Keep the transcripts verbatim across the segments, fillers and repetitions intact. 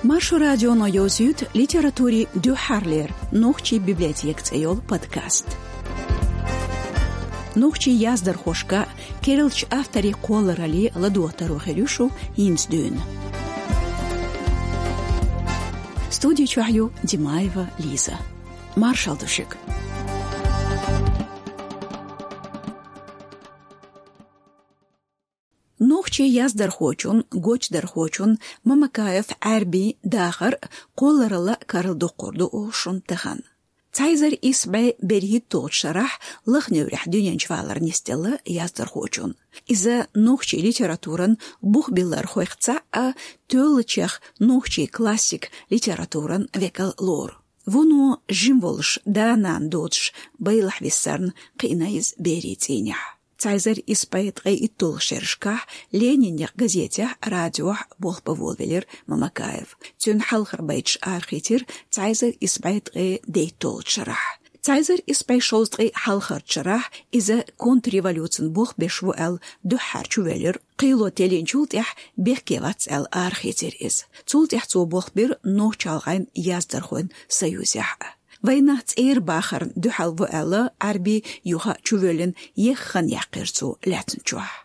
Маршо радионо йовзуьйту литературин дуьххьарлера «Нохчийн библиотека» цӀе йолу подкаст. Нохчийн яздархошка, керлачу авторийн кхолларалле ладогӀа таро хир ю шу хӀинца дуьйна. Студи чохь ю Димаева Лиза. Маршалла ду шуьга. Нохчийн яздархочун, гочдархочун Мамакаев Ӏаьрбин дахар а, кхолларалла а карладоккхур ду оха шуна тахана. Цхьа эзар исс бӀе берхӀитталгӀачу шарахь Лаха-Неврехь дуьнен чу валар нисделла яздархочун. Иза нохчийн литературан бухбиллархойх цхьаъ а, тоьллачех нохчийн классик литературан векал лору. Вуно жима волуш, да-нана доцуш, байлахь виссарна кхиъна иза берийн цӀийнехь. Цхьа эзар исс бӀе ткъе итталгӀачу шерашкахь «Ленинехь» газетехь а, радиохь а болх бан волавелира Мамакаев. Цуьнан хьалхара байташ арахецира цхьа эзар исс бӀе ткъе дейтталгӀачу шарахь. Цхьа эзар исс бӀе шовзткъе хьалхарчу шарахь иза контрреволюцин болх беш ву аьлла дуьххьара чувоьллира. Кхело теллинчул тӀаьхьа бехке вац аьлла арахецира иза. Цул тӀаьхьа цо болх бира Нохч-ГӀалгӀайн яздархойн союзехь а. Вайнах цӀера бахарна дуьхьал ву аьлла, Ӏаьрби юха а чувоьллина, еххана яьккхира цо лаьцначохь.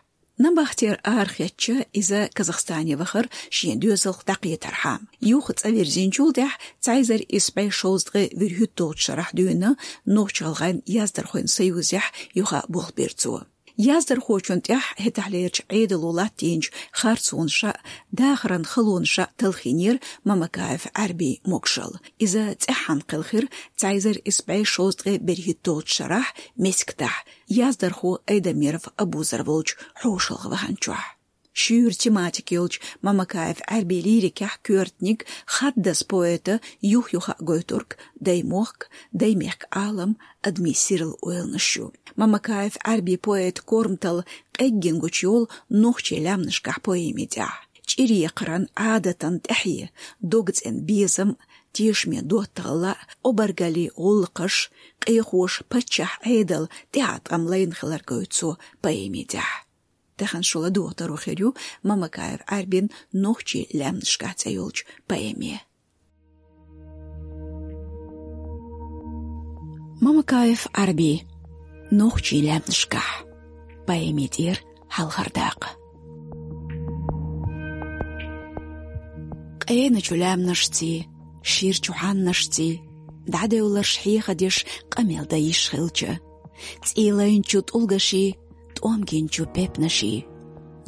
Набахтера арахецча, иза Казахстане вахара шен доьзалх дӀакхетархьама. Юха цӀа вирзинчул тӀаьхьа цхьа эзар исс бӀе шовзткъе вуьрхӀитталгӀачу шарахь дуьйна Нохч-ГӀалгӀайн яздархойн союзехь юха а болх бира цо. Яздархочун тӀехь хӀетахьлерчу Ӏедало латтийначу харцонаша а, дахаран халонаша а талхийнера Мамакаев Ӏаьрбин могушалла. Иза цӀеххьана кхелхира цхьа эзар исс бӀе шовзткъе берхӀитталгӀачу шарахь Мескитахь, яздархо Айдамиров Абузар волчу хьошалгӀа ваханчохь. Шуьйра тематика йолчу Мамакаев Ӏаьрбин лирикехь коьртаниг хаддаза поэта юх-юха а гойтург даймохк, даймехкан Ӏалам, адамийн сирла ойланаш ю. Мамакаев Ӏаьрбин поэтан корматалла къеггина гучуйолу «Нохчийн лаьмнашкахь» поэмин тӀехь. ЧӀир-екхаран, Ӏадатан тӀаьхье, догцӀена безам, тешаме доттагӀалла, обаргаллин гӀуллакхаш, къехоша паччахьан Ӏедал, тӀаьхьа тӀам лайна хилар гойту цо поэмин тӀехь. Тахана шу ладугӀу таро хир ю Мамакаев Ӏаьрбин «Нохчийн лаьмнашкахь» цӀе йолчу поэме. Мамакаев Ӏаьрби, «Нохчийн лаьмнашкахь», поэмин тӀера хьалхара дакъа. Къеначу лаьмнашций, ширачу хьаннашций, дӀадевлларш хьехадеш, къамел дан йиш хилча, цӀийлайначу тӀулгаший, тӀом гинчу пепнаший,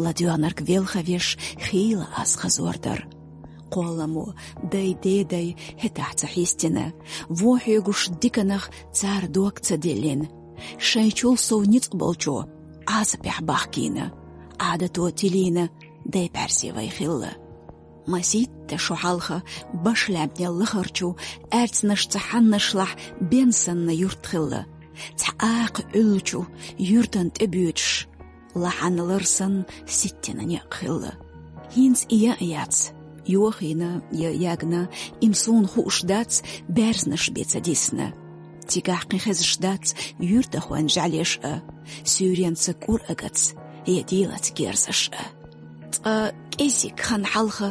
ладоьгӀнарг велхавеш, хийла ас хазор дара. Кхолламо дай-дедай хӀетахь ца хьистина, вон хьоьгуш диканах цара дог ца диллина, шайчул сов ницкъ болчо Ӏазапехь бахкийна, Ӏадато тилийна дай бӀаьрзе вай хилла. Масийтта шо хьалха баш лаьмнел лахарчу аьрцнашца хьаннашлахь бен санна юрт хилла. Цхьа акха Ӏуьллучу юьртан тӀе боьдуш, лахьанна лар санна ситтина некъ хилла. ХӀинца и ян а яц, йохийна я ягна, им суна хууш дац, баьрзнаш бен ца дисна. Цигахь кхин хезаш дац юьртахойн жӀаьлеш а, суьйренца кӀур агац я дийлац герзаш а. Цкъа кӀезиг хан хьалха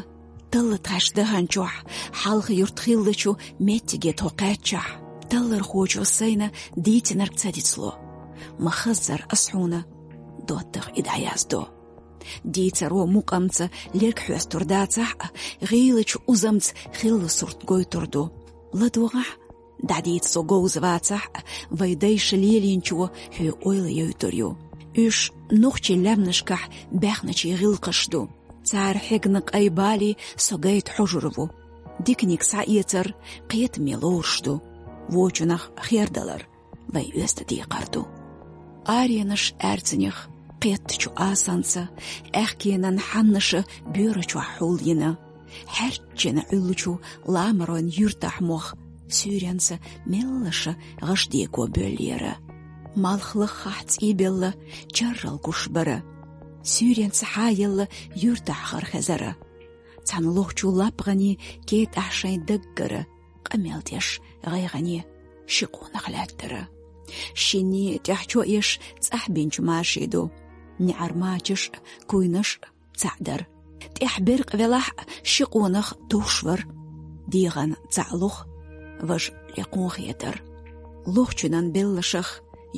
талла тхаьш даханчохь, хьалха юрт хиллачу меттиге тхо кхаьччахь, таллархочо сайна дийцинарг ца дицло. Ма хаззара ас хьуна доттагӀа и дӀаяздо. Дийцаро мукъамца лерг хьоьстур дацахь а, гӀийлачу узамца хилла сурт гойтур ду. ЛадогӀахь, дӀадийца со говза вацахь а, вай дайша лелийначо хьоьга ойла йойтур ю. Уьш нохчийн лаьмнашкахь баьхначийн гӀиллакхаш ду. Цара хьегна къай балий со гайта хьожур ву. Диканиг схьаэцар кхетаме лоруш ду. Вочунах хердалар вай оьзда декхар ду. Аренаш аьрцанех кхеттачу асанца, аьхкенан хьаннаша боьра чохь хьулйина, хьаьрччина Ӏуьллучу ламаройн юьртахь мох суьйренца меллаша гӀаш деко боьллера. Малх лаххахь цӀийбелла чаррал гуш бара. Суьйренца хьаелла юьртахь хар хезара. Цхьана лохчу лапгӀанийн кетӀахь шайн даггара къамел деш гӀайгӀане ши къонах лаьттара. Шинне тӀехь чо еш цӀахь бинчу маши ду. НеӀар мачаш а, куйнаш а цхьаъ дара. ТӀехь беркъ велахь а, ши къонах товш вар. ДегӀан цхьаъ лух, важа лекхун хетар. Лохчунан беллашах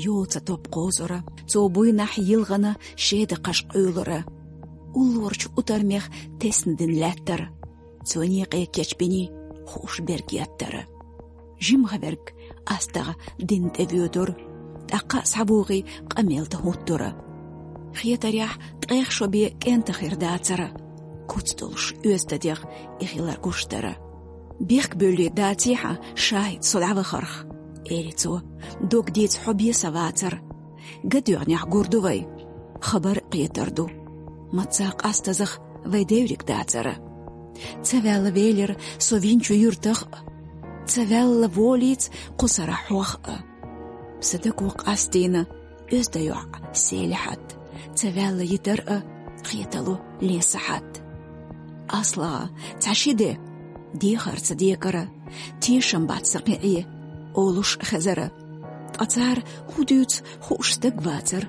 йола цхьа топ кхозура. Цо буйнахь йилгӀана шеда кхаш къуьйлура. Уллорчу утармех тесна дина лаьттара. Цо некъе кечбиний хууш берг еттара. ЖимгӀа верг астагӀа дин тӀе воьдура. ТӀаккха а схьавугӀий къамел тӀе хӀуттура. Хетарехь, ткъех шо бен кӀентан хир дацара. Куц долуш оьзда дегӀ и хилар гуш дара. Бехк буьллий даций хьан, ШахӀид, со дӀавахарх? — эли цо. — Дог дийца хьо бен сан вацара. ГадоьгӀнехь гур ду вай. Хабар а кхетар ду. Маца къастазах вай девриг дацара. Ца ваьлла велира со винчу юьртах а. Ца ваьлла волийца кху сарахь хьох а. Сан даго къастийна оьзда йоӀ Селихьат. Ца ваьлла йитар а, кхетало лен сахьат. АслагӀа, цхьа ши де, дехар ца декара, тешам бац сан кхин Ӏе, олуш хезара. Ткъа цара хӀун дуьйцу хууш стаг вацара.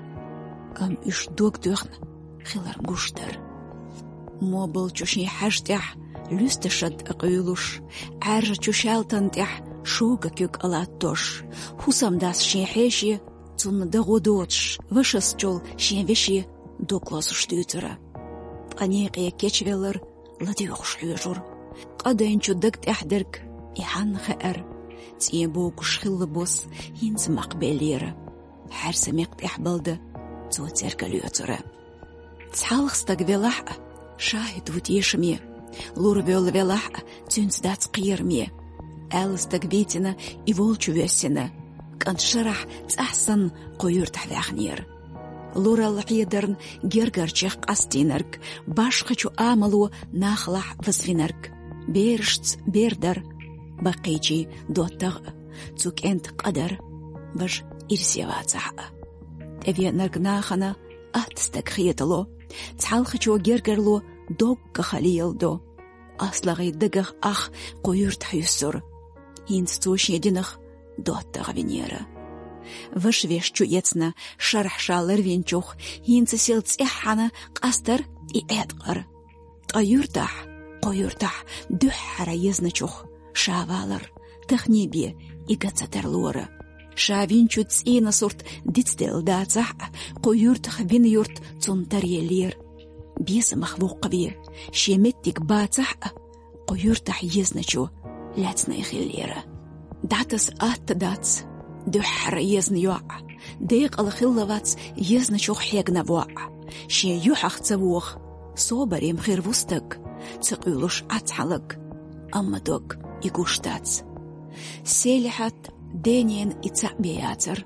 Амма уьш дог доьхна хилар гуш дара. Мобалчу шен хьаж тӀехь луьста шад а къуьйлуш, Ӏаьржачу шаьлтан тӀехь шога куьг а латтош, хӀусамдас шен хьеше, цунна дагӀо доцуш, вашас чул шен веше дог лозуш дуьйцура. Ткъа некъе кечвеллар ладоьгӀуш хьоьжура. Къадайначу даг тӀехь дерг и хьанна хаьара. ЦӀен богуш хилла бос хӀинца мах беллера. Хьаьрса мекх тӀехь балда цо церга лоьцура. Цхьалха стаг велахь а, ШахӀид ву тешаме. Лур воьлла велахь а, цуьнца дац кхераме. Аьлла стаг вийцина, и волчу воьссина. КӀант шарахь цӀахь санна кху юьртахь ваьхнера. Луралла хьедарна гергарчех къастийнарг, башхачу амало нахалахь вазвинарг. Берашца бер дара, баккхийчийн доттагӀа а, цу кӀентан къа дара, важа ирсе вацахь а. ТӀевеанарг нахана атта стаг хетало, цхьалхачо гергарло доггах леладо. АслагӀий дагах ах кху юьртахь юьссура. ХӀинца цо шен динах доттагӀа винера. Ваша веш чу эцна шарахь ша ларвинчух, хӀинца сел цӀеххьана къастар и Ӏеткъара. Ткъа юьртахь, кху юьртахь дуьххьара езначух ша валар, тахне бен и ган ца тарлора. Ша винчу цӀийнан сурт дицделла дацахь а, кху юьртах вина юрт цунна таръеллера. Безамах воккхаве, шен меттиг бацахь а, кху юьртахь езначо лаьцна и хиллера. ДӀатаса атта дац дуьххьара езна йоӀ, декъала хилла вац езначух хьегна воӀ. Шен юьхьах ца воха, собаре-м хир ву стаг, ца къуьйлуш Ӏа цхьалаг, амма дог и гуш дац. Селихьат денен и цхьаъ бен яцара.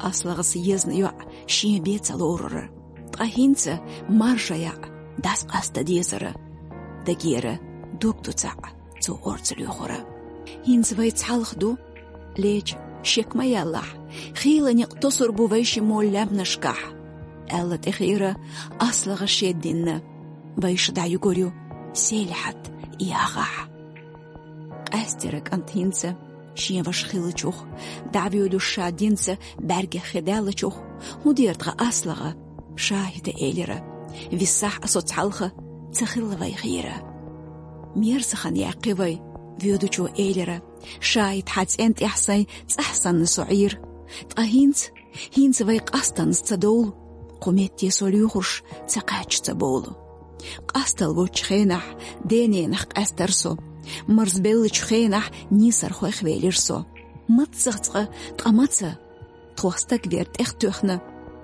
АслагӀас езна йоӀ шен бен ца лорура. Ткъа хӀинца маржа яӀ дас къаста дезара. Дагера дог ду цхьаъ цо орца лоьхура. ХӀинца вай цхьалха ду, леча, шек ма яллахь, хийла некъ тосур бу вай ши молла лаьмнашкахь, аьлла тӀехира АслагӀа шеддинна, вайша дӀаюгур ю Селихьат яхахь. Къаьстира кӀант хӀинца шен ваша хиллачух, дӀавоьдуш ша динца бӀаьргех хи даьллачух, хӀун дера тхан АслагӀа? ШахӀида элира: «Виссахь а со цхьалха ца хилла вай хийра». Мерза хан яьккхи вай, воьдучо элира. ШахӀид, хьан цӀен тӀехь сайн цӀахь санна со Ӏийра. Ткъа хӀинца, хӀинца вай къастанза ца довлу, кху метте со лоьхурш ца кхаьчча ца бовлу. Къастал воцчу хенахь дененах къаьстара со, марзбеллачу хенахь нийсархойх велира со. Маццах цкъа, ткъа маца? Тхох стаг вер тӀех тоьхна,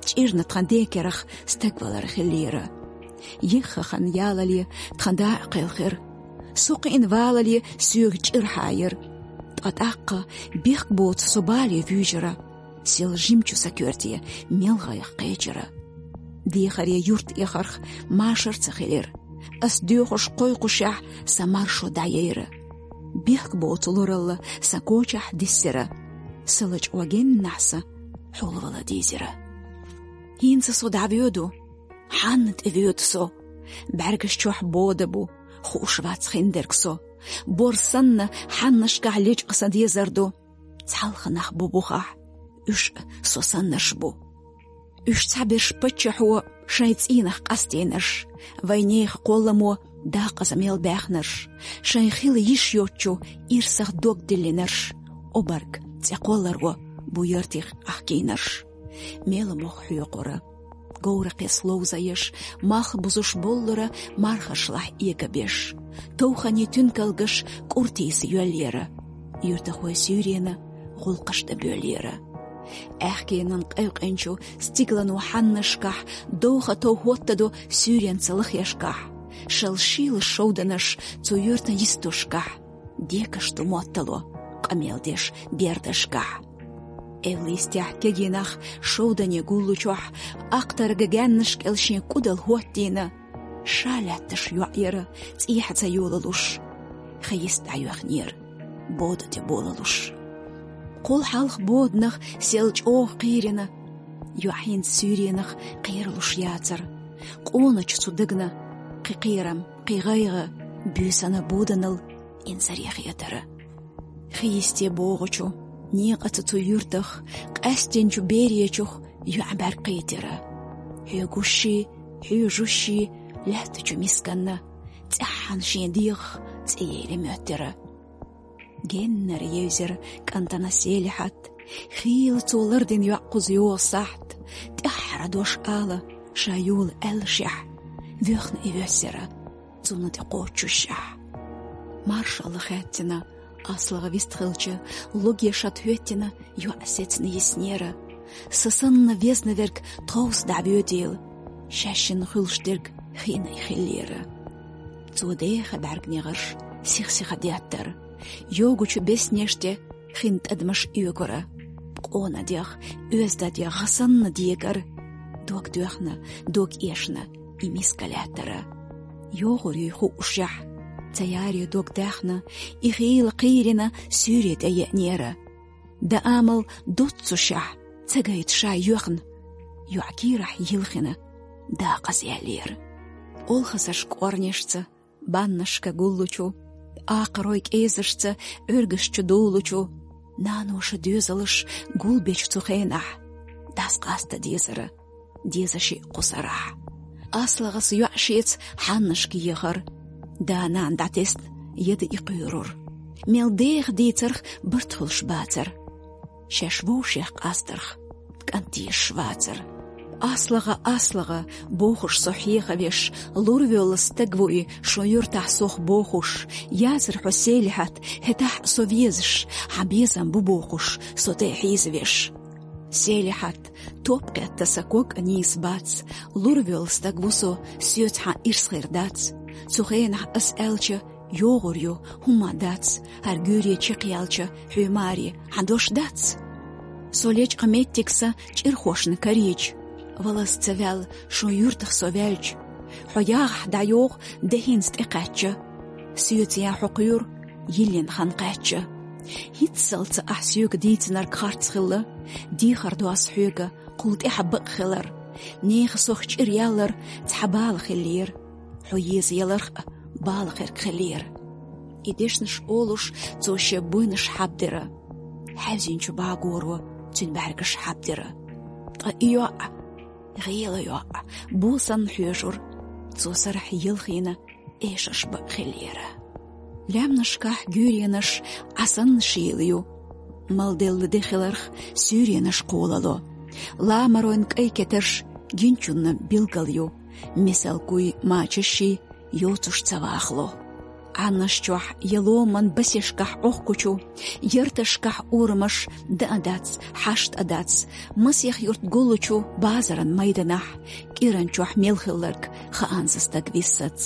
чӀирна тхан ден керах стаг валар хиллера. Ехха хан ялале тхан да а кхелхира. Со кхиъна валале соьга чӀир хьаира. Ткъа тӀаккха бехк боцу со бале вуьйжира. Сел жимчу сан коьрте мел гӀайгӀа кхечира. Дехаре юрт эхарх машар ца хилира. Ас доьхуш кхойкхушехь, сан маршо дӀаяйра. Бехк боцу луралла сан кочахь диссира. Сан лачкъо геннахь сан хьулвала дийзира. ХӀинца со дӀавоьду, хьанна тӀевоьду со? БӀаьргаш чохь бода бу, хууш вац хиндерг со. Бор санна, хьаннашкахь лечкъа сан дезар ду. Цхьалха нах бу бухахь, уьш а со саннарш бу. Уьш цхьаберш паччахьо шайн цӀийнах къастийнарш, вайнех кхолламо дакъаза мел баьхнарш, шайн хила йиш йоцчу ирсах дог диллинарш, обарг цӀе кхолларо бу йоьртих ахкийнарш. Мела мох хьоькхура, говракхес ловзаеш, малх бузуш боллура мархашлахь эгабеш. Товхани туьнкалгаш кӀуртийса йоьллера, юьртахой суьйрена гӀуллакхаш дан боьллера. Аьхкенан къевкъинчу стиглано хьаннашкахь довха тов хӀоттадо суьйренца лахешкахь, шал шийла шовданаш цу юьртан йистошкахь, декаш ду моттало къамел деш бердашкахь. Эвлистехь кегийнах шовдане гуллучохь, ахтарга гаьннаш кӀел шен кӀудал хӀоттийна, ша лаьтташ йоӀ яра цӀехьа ца йолалуш, хьа йист дӀайоьхнера бода тӀе болалуш. Кхул хьалха боданах сел чӀогӀа кхийрина, йоӀ хӀинца суьйренах кхералуш яцара. Къоначу цу дагна кхин кхерам, кхин гӀайгӀа буьйсанна боданал инзаре хетара. Хи йисте богӀучу некъаца цу юьртах, къаьстинчу беречух йоӀ бӀаьрг кхийтира. Хьоьгушший, хьоьжушший лаьттачу мисканна цӀеххьана шен дегӀах цӀе еле моьттира. Геннара евзира кӀантана Селихьат, хийла цо лардина йоӀ кхуза йогӀу сахьт, тӀаьххьара дош ала ша йола аьллашехь, воьхна и воьссира, цунна тӀе кхочушшехь. Маршалла хаьттина, аслага вистхилча, логе шад хӀоьттина йоӀ сецна йиснера. Са санна везна верг тховса дӀавоьдийла, шаьшшинна хуьлуш дерг хиъна и хиллера. Цо деха бӀаьрг негӀарш сих-сиха деттара. Йогучу беснеш тӀе хин тӀадамаш оьгура. Къона дегӀ, оьзда дегӀ гӀа санна дегара. Дог доьхна, дог эшна и миска лаьттара. ЙогӀур юй хуушшехь, ца яре дог даьхна, и хийла кхийрина суьйре тӀе еънера. Дан амал доццушехь, ца гайта ша йоьхна, йоӀ кийрахь йилхина дакъаза яьллера. Олхазарш кӀорнешца, баннашка гуллучу, акхарой кӀезашца Ӏуьргаш чу дуллучу, наноша доьзалш гулбечу цу хенахь, дас къаста дезара, деза шиъ кху сарахь. АслагӀас йоӀ шеца хьаннашка ехар, да-нана дӀатесна яда и кхуьйрур. Мел деха дийцарх барт хуьлуш бацара. Шаьш вовшех къастарх кӀант дезаш вацара. АслагӀа, аслагӀа, бохуш со хьехавеш, лурвоьлла стаг ву и шун юьртахь сох бохуш, яцара хьо, Селихьат, хӀетахь а со везаш, хьан безам бу бохуш, со тӀе хьийзавеш. Селихьат, топ кхетта сан ког а нийса бац, лурвоьлла стаг ву со, соьца хьан ирс хир дац. Цу хенахь ас аьлча, йогӀур ю, хӀумма дац, хӀара гуьйре чекхъяьлча, хьоь маре хьан дош дац? Со лечкъа меттиг сан чӀирхошна карийча, валлас ца ваьлла шун юьртах со ваьлча, хьо ягӀахь дӀайогӀу де хӀинца тӀекхаьчча, соьца ян хьо кхуьйру йиллина хан кхаьчча. ХӀинццалц ахь соьга дийцинарг харц хилла, дехар до ас хьоьга кхул тӀаьхьа бакъ хилар, нехан сох чӀир яллар цхьа бала хиллера, хьо еза яларх а бала хирг хиллера. И дешнаш олуш, цо шен буйнаш хьабдира. Хьаьвзинчу багоро цуьнан бӀаьргаш хьабдира. Ткъа и йоӀ, гӀела йоӀ, бо санна хьоьжура, цо сарахь елхийна эшарш бакъ хиллера. Лаьмнашкахь гуьйренаш Ӏа санна шийла ю, малделла де хиларх суьйренаш кхолало. Ламаройн кӀай кетарш гинчунна билгал ю, мисал куй мачашший йоцуш ца вахало. Ӏаннаш чохь я ломан басешкахь Ӏохкучу, ярташкахь урамаш дан а дац, хьашт а дац, масех юрт гуллучу базаран майданахь, кӀиран чохь мел хилларг хаанза стаг виссац.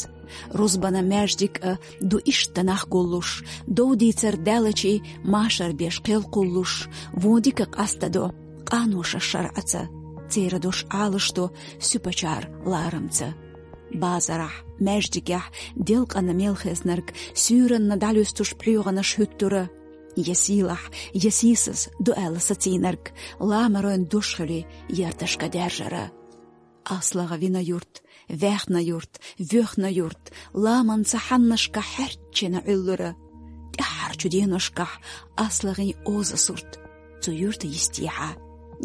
Рузбана маьждиг а ду иштта нах гуллуш, дов дийцар даьллачий машар беш кхел кхуллуш, вон дика къастадо, къаноша шарӀаца, церан дош Ӏалашдо суьпачара ларамца. Базарахь, маьждигехь делкъана мел хезнарг суьйранна дӀалуьстуш пхьоьгӀанаш хӀуьттура. Я сийлахь, я сийсаз ду аьлла сацийнарг ламаройн дош хили ярташка даьржара. АслагӀа вина юрт, ваьхна юрт, воьхна юрт, ламанца хьаннашка хьаьрчина Ӏуьллура. ТӀаьххьарчу деношкахь аслагӀийн оза сурт цу юьрта йистехьа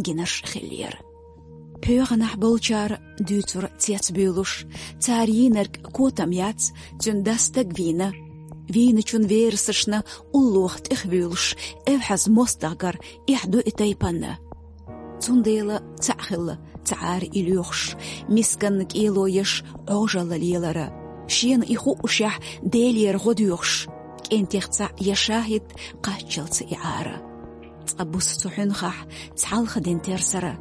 гинарш хиллера. ПхьоьгӀанахь болчара дуьйцура цецбуьйлуш, цара йийнарг котам яц, цуьнан дас стаг вийна. Вийначун верасашна уллохь тӀехвуьйлуш, эвхьаза мостагӀгара эхь ду и тайпанна. Цундела цхьаъ хилла цхьа Ӏара и лоьхуш, мисканна кӀело еш Ӏожалла лелара. Шена и хуушехь Делера гӀо доьхуш, кӀентех цхьаъ я шахӀид кхаччалца и Ӏара. Цкъа буса цу хьуьнхахь цхьалха дина терсара,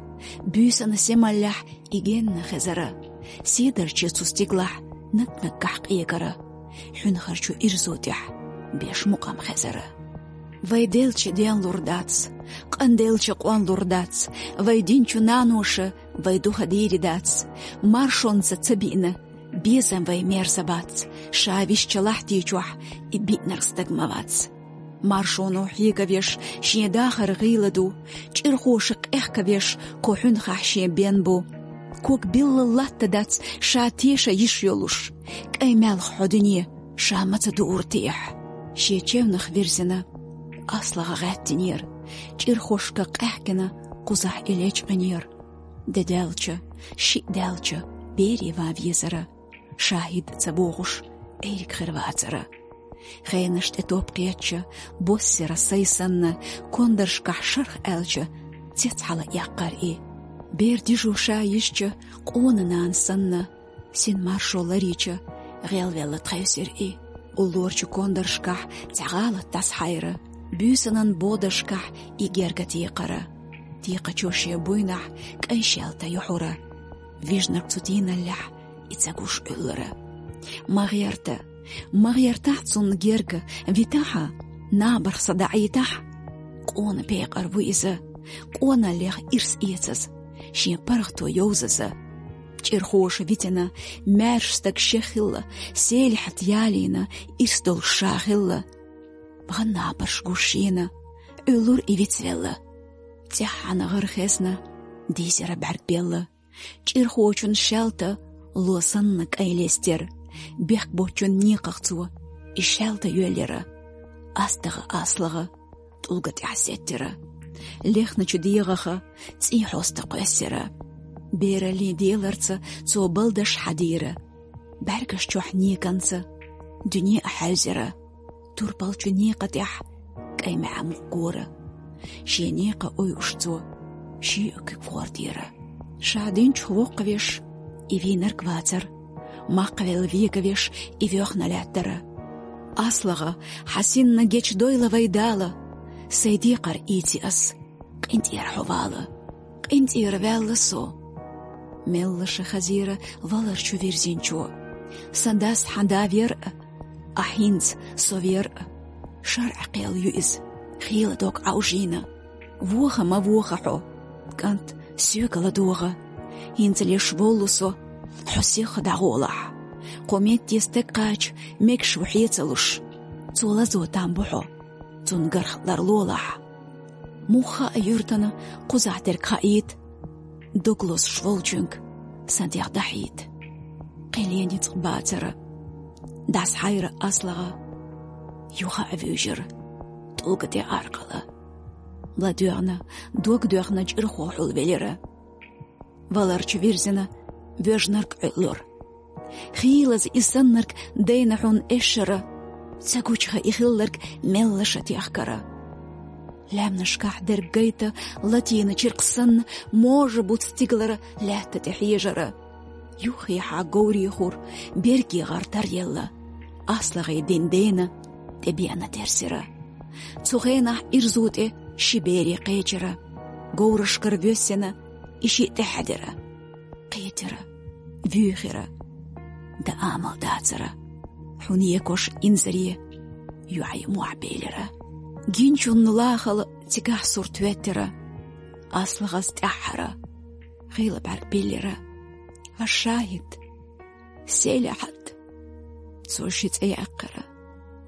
буьйсанна семаллехь и генна хезара. Седарче цу стигалахь наг-наггахь къегара, хьуьнхарчу ирзу тӀехь беш мукъам хезара. Вай делча денлур дац, къанделча къонлур дац, вай динчу наноша вай духа дийри дац, маршонца ца биъна, безам вай мерза бац, ша висча лахьти чохь и биънарг стаг ма вац. Маршоно хьегавеш шен дахар гӀийла ду, чӀирхоша къехкавеш кху хьуьнхахь шен бен бу. Ког билла латта дац ша теша йиш йолуш, кӀайн маьлха хьо дуьне ша ма ца дуур техь. Шен чевнах вирзина, аслагӀа гӀаьттинера, чӀирхошка къаьхкина кхузахь и лечкъинера. Де даьлча, шиъ даьлча, бере ван везара, шахӀид а ца бохуш, Ӏийриг хир вацара. Хенаш тӀе топ кхечча, боссера сай санна, кондаршкахь шарх аьлча, цец хьала эккхар и. Бер дижо ша йисча, къона нана санна, син маршо ларийча, гӀелвелла тхевсира и. Уллорчу кондаршкахь цхьа гӀалат дӀасахьайра, буьйсанан боданашкахь и герга текхара. Текхачо шен буйнахь кӀайн шаьлта юьхьура. Вижнарг цу тийналлехь и ца гуш Ӏуьллура. Ма гӀерта, ма гӀертахь цунна герга, витахьа, набарх са даӀийтахь. Къона пекъар ву иза, къоналлех ирс эцаза, шен паргӀато йовзаза. ЧӀирхоша витина, маьрша стаг шех хилла, Селихьат ялийна, ирс долуш ша хилла. Бан набарш гуш шена, Ӏуьллура и вицвелла. ЦӀеххьана гӀар хезна, дийзира бӀаьрг белла. ЧӀирхочун шаьлта ло санна кӀайн лестира. Бехк боцчун некхах цо и шаьлта йоьллира. АстагӀа аслагӀа тӀулга тӀехь сеттира. Лехначу дегӀаха цӀий хьоста кхоьссира. Бераллин деларца цо балдаш хьадийра. БӀаьргаш чохь неканца дуьне а хьаьвзира. Турпалчу некъа тӀехь кӀайн маьӀа мукъ гора. Шен некъа ойуш цо шиъ а куьг гӀортийра. Ша динчух воккхавеш и вийнарг вацара, макхвелла вегавеш и воьхна лаьттара. АслагӀа, хьан синна гечдойла вай Дала, сайн декхар ийци ас, къинтӀера хьо вала. КъинтӀера ваьлла со. Меллаша хазийра валарчу вирзинчо. Сан дас хьан да вер а, ахь хӀинца со вер а. ШарӀан кхел ю иза, хийла дог Ӏовжийна. Воха ма воха хьо, кӀант, соьга ладогӀа. ХӀинца леш воллу со, хьо сиха дӀагӀолахь. Кху метте стаг кхача мегаш ву хье ца луш. Цо лазо там бу хьо, цунна гарх ларлолахь. Муха а юьртана кхузахь дерг хаийта, дог лозуш волчуьнга сан дегӀ дахьийта. Кхин лен ницкъ бацара, дӀасахьайра аслагӀа, юха а вуьйжира тӀулга тӀе аркъала. ЛадоьгӀна, дог доьхна чӀирхо хьулвелира. Валарчу вирзина воьжнарг Ӏуьллура. Хийлаза и саннарг дайна хьуна эшшара, ца гучуха и хилларг меллаша техкара. Лаьмнашкахь дерг гайта латийна чиркх санна, можа буц стигалара лаьтта тӀе хьежара. Юххехьа говрехур берге гӀар таръелла, аслагӀий дин дена тӀебеана терсира. Цу хенахь ирзу тӀе ши бере кхечира. Говрашкара воьссина и шиъ тӀехьаьдира. Кхетира, вуьйхира. Дан амал дацара. Хьуна екош инзаре йоӀе мохь белира. Гинчунна лахала цигахь сурт веттира. АслагӀас тӀаьххьара. Хийла бӀаьрг биллира. Ва шахӀид! Селихьат! Цо ши цӀе яьккхира.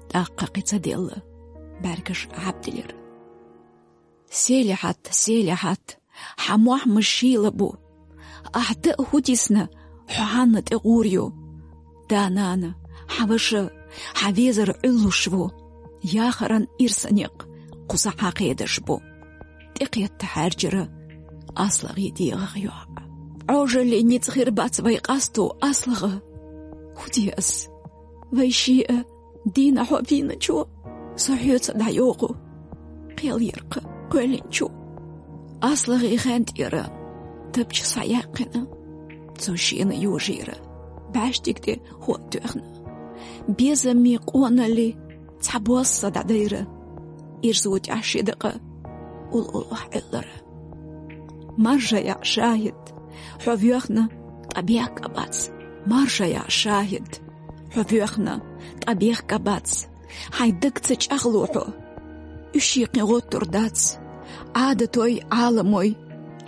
ТӀаккха кхин ца делла, бӀаьргаш гӀаьбдилира. Селихьат, Селихьат, хьан мохь ма шийла бу. Ахь дан а хӀу тисна, хьо хьанна тӀе гӀур ю. Да-нана, хьан ваша, хьан везар Ӏуьллуш ву. Яхаран ирса некъ кхузахь хьан кхедаш бу. ТӀекхетта хьаьрчира аслагӀий дегӀах йоӀ. Ӏожаллин ницкъ хир бац вай къасто, АслагӀа. Фу де аз? Вай шиъ дийна хьо вийначо, со хьоьца дӀайоху. Кхел яркха кхоьллинчу. АслагӀа хен тӀера тапча схьаяьккхина. Цо шена йожийра баьштиг тӀе хӀоттоьхна. Безамми къоналли цхьа босса дӀадайра. Ирзу тӀехь ши дакъа уллулахь Ӏиллара. Маржа яӀ шахид, хьо воьхна, ткъа бехк а бац. Маржа яӀ шахид, хьо воьхна, ткъа бехк а бац. Хьайн даг ца чӀагӀло хьо. Уьш йикхин гӀоттур дац. Ӏадатой, Ӏаламой,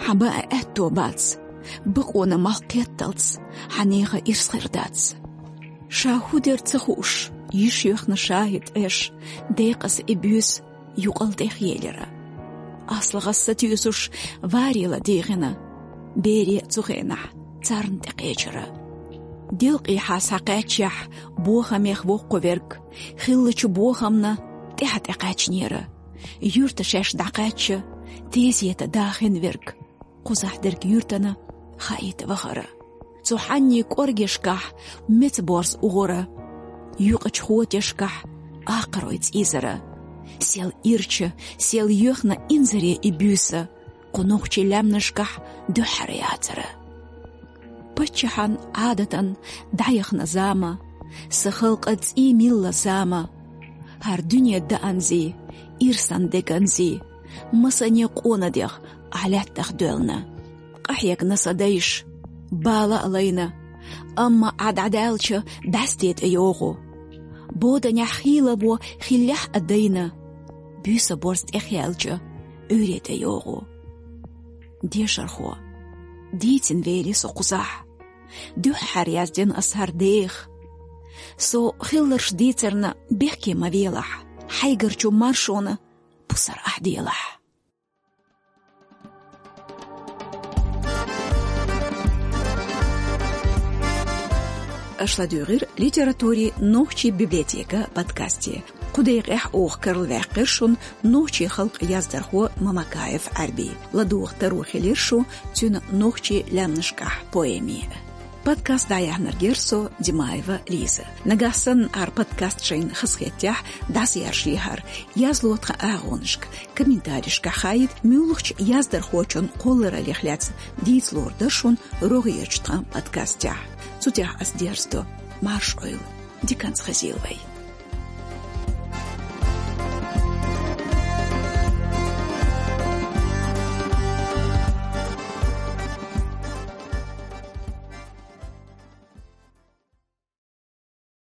хьан баа аьтто бац. Бакъона малх кхетталц, хьан нехан ирс хир дац. Ша хӀу дер ца хууш, йиш йоьхна шахид Ӏеш, декъаза и буьйса юкъал тӀехъелира. АслагӀас сатуьйсуш, варе ладийгӀина. Бере а цу хенахь царна тӀекхечира. Делкъехьа схьакхаьччехь, бохамех воккхуверг, хиллачу бохамна тӀаьхьа тӀекхаьчнера. Юьрта шаьш дӀакхаьчча, тезета дахина верг, кхузахь дерг юьртана хаийта вахара. Цу хьанний кӀоргешкахь меца борз угӀура. Юкъачу хотешкахь акхарой цӀийзара. Сел ирча, сел йоьхна инзаре и буьйса, кху нохчий лаьмнашкахь дуьххьара яцара. Паччахьан Ӏадатан дӀаяхна зама, сан халкъан цӀий милла зама. ХӀара дуьне даанзий, ирсан деканзий, масане къона дегӀ ахь лаьттах доьлна. Къахьегна сан дайша, бала а лайна, амма Ӏа дӀадаьлча, бӀаьсте тӀе йогӀу. Боданехь хийла во хиллехь а дайна, буьйса борз тӀехъяьлча, Ӏуьйре тӀе йогӀу. Дешархо, дийцина велий со кхузахь. Дуьххьара яздина ас хӀара деха. Со хилларш дийцарна бехке ма велахь, хьайгарчу маршонан пусар ахь делахь. Аша ладуьйгӀира «Литературин нохчийн библиотека» подкасте. Кху декъехь оха карла ваьккхира шуна нохчийн халкъан яздархо Мамакаев Ӏаьрби. ЛадугӀу таро хилира шу цуьнан «Нохчийн лаьмнашкахь» поэме. Подкаст дӀаяьхьнарг яра со, Димаева Лиза. Нагахь санна хӀара подкаст шайна хазахетахь, дӀасаяржийхьара, язло тхан агӀонашка, комментарийшкахь хаийта, муьлххачу яздархочун кхоллараллех лаьцна дийца лур дара шуна рогӀерчу тхан подкастехь. Цу тӀехь ас дерзадо. Марша Ӏойла. Диканца хезийла вай.